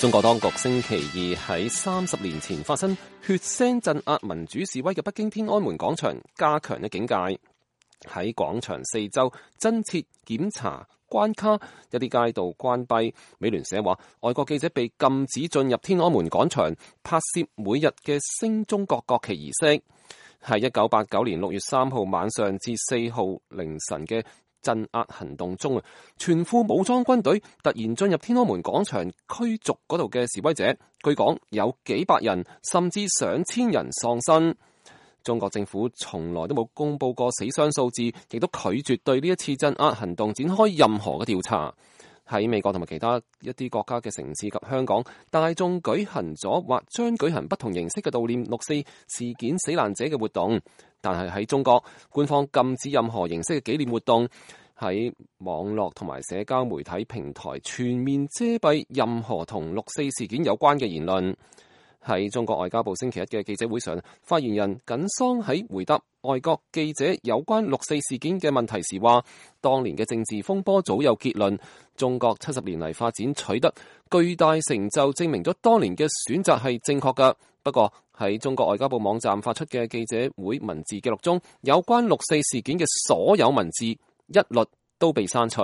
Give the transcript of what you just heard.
中國當局星期二喺30年前發生血腥鎮壓民主示威嘅北京天安門廣場加強咗警戒，喺廣場四周增設檢查關卡，一啲街道關閉。美聯社話，外國記者被禁止進入天安門廣場拍攝每日嘅升中國國旗儀式。喺1989年6月3號晚上至4號凌晨嘅鎮壓行動中，全副武裝軍隊突然進入天安門廣場驅逐嗰度嘅示威者，據講有幾百人甚至上千人喪生。中國政府從來都冇公布過死傷數字，亦都拒絕對呢一次鎮壓行動展開任何嘅調查。喺美國同埋其他一啲國家嘅城市及香港，大眾舉行咗或將舉行不同形式嘅悼念6·4事件死難者嘅活動，但係喺中國，官方禁止任何形式嘅紀念活動，喺網絡同埋社交媒體平台全面遮蔽任何同6·4事件有關嘅言論。喺中國外交部星期一嘅記者會上，發言人耿桑喺回答外國記者有關6·4事件嘅問題時話，當年嘅政治風波早有結論，中國70年嚟發展取得巨大成就，證明咗當年嘅選擇係正確㗎。不過喺中國外交部網站發出嘅記者會文字記錄中，有關6·4事件嘅所有文字一律都被刪除。